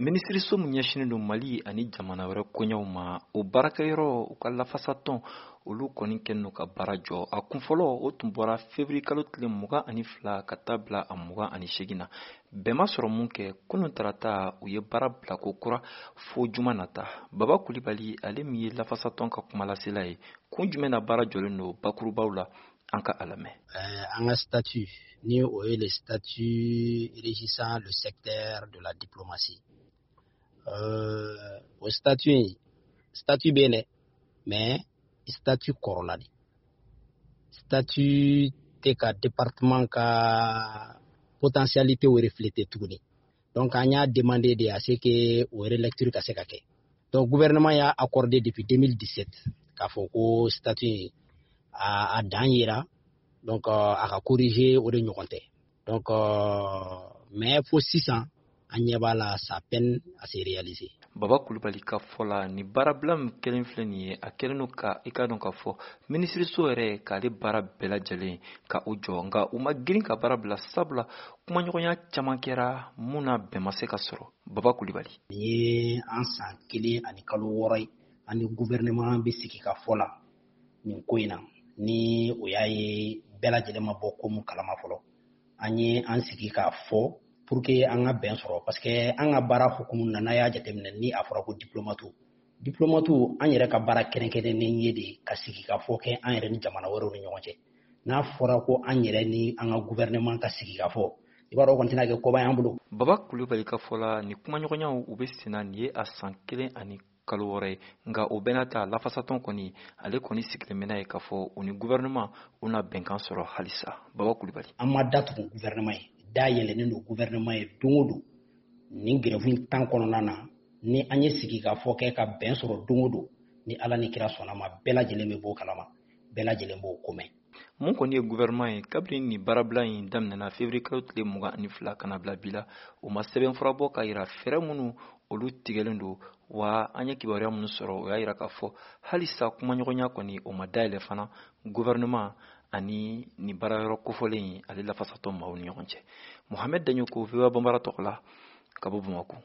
Minisiriso min ɲɛsinnen don Mali ani jamana wɛrɛ koɲɛw ma, o baarakɛyɔrɔ, u ka lafasatɔn, olu kɔni kɛlen don ka baara jɔ. A kunfɔlɔ, o tun bɔra février kalo tile 22 ka taa bila a 28 na. Bɛn ma sɔrɔ mun kɛ, kunun tarata u ye baara bila ko kura fo juma nata. Baba Kulibali, ale min ye lafasatɔn ka kumalasela ye, kun jumɛn na baara jɔlen don bakurubaw la? An ka a lamɛn. An ka statut, ni o ye le statut régissant le secteur de la diplomatie, o statut in, statut bɛ yen dɛ, mais statut kɔrɔla de. Statut tɛ ka département ka potentialité refléter tuguni. Donc an y'a demandé de à ce que o relecture ka se ka kɛ. Donc gouvernement y'a accordé depuis 2017 k'a fɔ ko statut in a dan yera, donc a ka corriger, o de ɲɔgɔn tɛ. Donc mais fo sisan, an ɲɛ b'a la, ça peine à se réaliser. Baba Kulubali ka fɔ la, ni baarabila min kɛlen filɛ nin ye, a kɛlen don ka i ka dɔn k'a fɔ minisiriso yɛrɛ k'ale baara bɛɛ lajɛlen ka o jɔ. Nka u ma girin ka baara bila, sabula kumaɲɔgɔnya caman kɛra mun na, bɛn ma se ka sɔrɔ. Baba Kulubali. Nin ye an san 1 ani kalo 6 ye, an ni gouvernement bɛ sigi ka fɔ la nin ko in na. Ni o y'a ye, bɛɛ lajɛlen ma bɔ ko mun kalama fɔlɔ. An ye an sigi k'a fɔ pour que an ka bɛn sɔrɔ, parce que an ka baara hukumu na, n'a y'a jateminɛ, ni a fɔra ko diplomate, diplomate, an yɛrɛ ka baara kɛrɛnkɛrɛnnen ye de ka sigi ka fɔ kɛ an yɛrɛ ni jamana wɛrɛw ni ɲɔgɔn cɛ. N'a fɔra ko an yɛrɛ ni an ka gouvernement ka sigi ka fɔ, i b'a dɔn, o kɔni tɛna kɛ koba y'an bolo. Baba Kulubali ka fɔ la, ni kumaɲɔgɔnyaw u bɛ senna, nin ye a san 1 ani kalo 6 ye. Nka o bɛɛ n'a ta, lafasatɔn kɔni, ale kɔni sigilen bɛ n'a ye k'a fɔ u ni gouvernement u na bɛnkan sɔrɔ halisa. Baba Kulubali. An ma datugu gouvernement ye, da yɛlɛnnen don gouvernement ye don o don. Nin grève in tan kɔnɔna na, ni an ye sigi ka fɔ kɛ ka bɛn sɔrɔ don o don, ni Ala ni kira sɔnna ma, bɛɛ lajɛlen bɛ b'o kalama, bɛɛ lajɛlen b'o komɛn. Mun kɔni ye gouvernement ye, kabini nin baarabila in daminɛna février kalo tile 22 ka na bila bi la, u ma sɛbɛnfura bɔ ka yira fɛɛrɛ minnu olu tigɛlen don wa. An ye kibaruya minnu sɔrɔ, o y'a yira k'a fɔ halisa kumaɲɔgɔnya kɔni, o ma dayɛlɛ fana gouvernement ani nin baarayɔrɔ kofɔlen in, ale lafasatɔ maaw ni ɲɔgɔn cɛ. Mohamed Daɲoko, VOA Banbara tɔgɔ la, ka bɔ Bamakɔ.